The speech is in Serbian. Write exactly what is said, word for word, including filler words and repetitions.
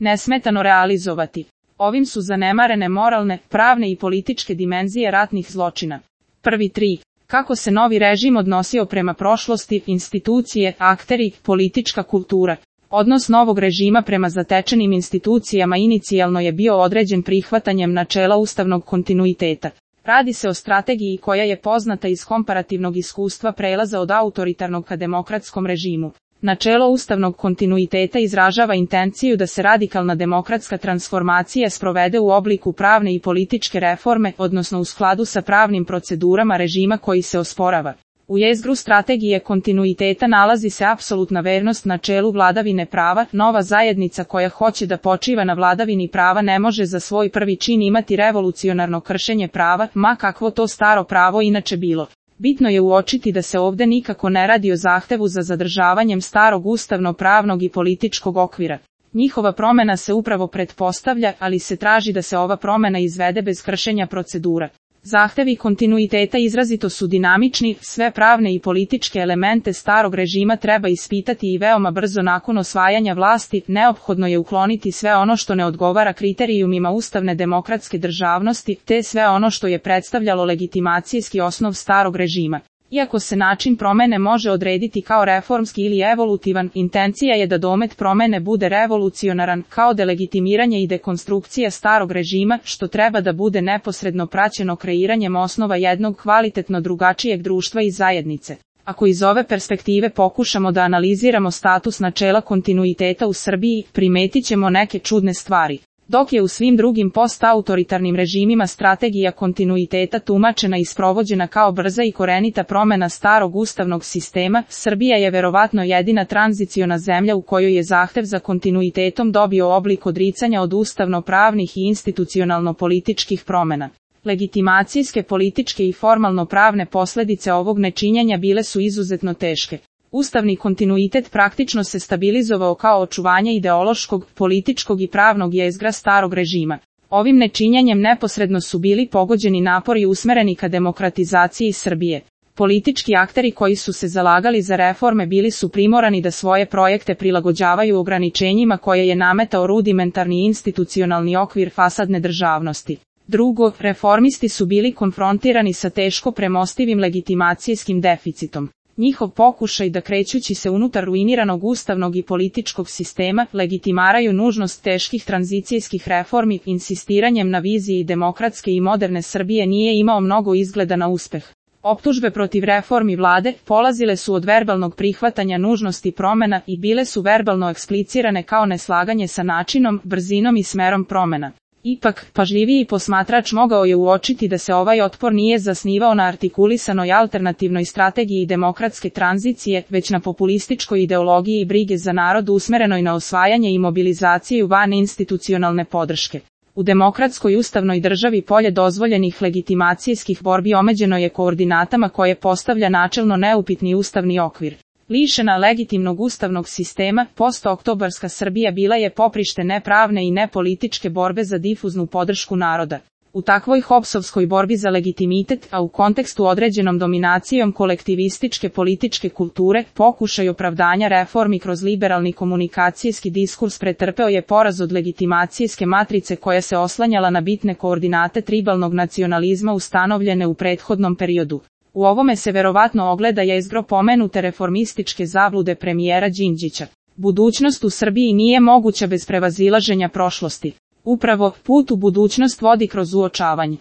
nesmetano realizovati. Ovim su zanemarene moralne, pravne i političke dimenzije ratnih zločina. Prvi tri. Kako se novi režim odnosio prema prošlosti, institucije, akteri, politička kultura. Odnos novog režima prema zatečenim institucijama inicijalno je bio određen prihvatanjem načela ustavnog kontinuiteta. Radi se o strategiji koja je poznata iz komparativnog iskustva prelaza od autoritarnog ka demokratskom režimu. Načelo ustavnog kontinuiteta izražava intenciju da se radikalna demokratska transformacija sprovede u obliku pravne i političke reforme, odnosno u skladu sa pravnim procedurama režima koji se osporava. U jezgru strategije kontinuiteta nalazi se apsolutna vernost načelu vladavine prava. Nova zajednica koja hoće da počiva na vladavini prava ne može za svoj prvi čin imati revolucionarno kršenje prava, ma kakvo to staro pravo inače bilo. Bitno je uočiti da se ovde nikako ne radi o zahtevu za zadržavanjem starog ustavno-pravnog i političkog okvira. Njihova promena se upravo pretpostavlja, ali se traži da se ova promena izvede bez kršenja procedura. Zahtevi kontinuiteta izrazito su dinamični, sve pravne i političke elemente starog režima treba ispitati i veoma brzo nakon osvajanja vlasti, neophodno je ukloniti sve ono što ne odgovara kriterijumima ustavne demokratske državnosti, te sve ono što je predstavljalo legitimacijski osnov starog režima. Iako se način promene može odrediti kao reformski ili evolutivan, intencija je da domet promene bude revolucionaran, kao delegitimiranje i dekonstrukcija starog režima, što treba da bude neposredno praćeno kreiranjem osnova jednog kvalitetno drugačijeg društva i zajednice. Ako iz ove perspektive pokušamo da analiziramo status načela kontinuiteta u Srbiji, primetit ćemo neke čudne stvari. Dok je u svim drugim postautoritarnim režimima strategija kontinuiteta tumačena i sprovođena kao brza i korenita promena starog ustavnog sistema, Srbija je verovatno jedina tranziciona zemlja u kojoj je zahtev za kontinuitetom dobio oblik odricanja od ustavno-pravnih i institucionalno-političkih promena. Legitimacijske političke i formalno-pravne posledice ovog nečinjenja bile su izuzetno teške. Ustavni kontinuitet praktično se stabilizovao kao očuvanje ideološkog, političkog i pravnog jezgra starog režima. Ovim nečinjenjem neposredno su bili pogođeni napori usmereni ka demokratizaciji Srbije. Politički akteri koji su se zalagali za reforme bili su primorani da svoje projekte prilagođavaju ograničenjima koje je nametao rudimentarni institucionalni okvir fasadne državnosti. Drugo, reformisti su bili konfrontirani sa teško premostivim legitimacijskim deficitom. Njihov pokušaj da krećući se unutar ruiniranog ustavnog i političkog sistema, legitimaraju nužnost teških tranzicijskih reformi, insistiranjem na viziji demokratske i moderne Srbije nije imao mnogo izgleda na uspeh. Optužbe protiv reformi vlade polazile su od verbalnog prihvatanja nužnosti promena i bile su verbalno eksplicirane kao neslaganje sa načinom, brzinom i smerom promena. Ipak, pažljiviji posmatrač mogao je uočiti da se ovaj otpor nije zasnivao na artikulisanoj alternativnoj strategiji demokratske tranzicije, već na populističkoj ideologiji i brige za narod usmerenoj na osvajanje i mobilizaciju van institucionalne podrške. U demokratskoj ustavnoj državi polje dozvoljenih legitimacijskih borbi omeđeno je koordinatama koje postavlja načelno neupitni ustavni okvir. Lišena legitimnog ustavnog sistema, postooktobarska Srbija bila je poprište nepravne i nepolitičke borbe za difuznu podršku naroda. U takvoj hopsovskoj borbi za legitimitet, a u kontekstu određenom dominacijom kolektivističke političke kulture, pokušaj opravdanja reformi kroz liberalni komunikacijski diskurs pretrpeo je poraz od legitimacijske matrice koja se oslanjala na bitne koordinate tribalnog nacionalizma ustanovljene u prethodnom periodu. U ovome se verovatno ogleda jezgro pomenute reformističke zablude premijera Đinđića. Budućnost u Srbiji nije moguća bez prevazilaženja prošlosti. Upravo, put u budućnost vodi kroz uočavanje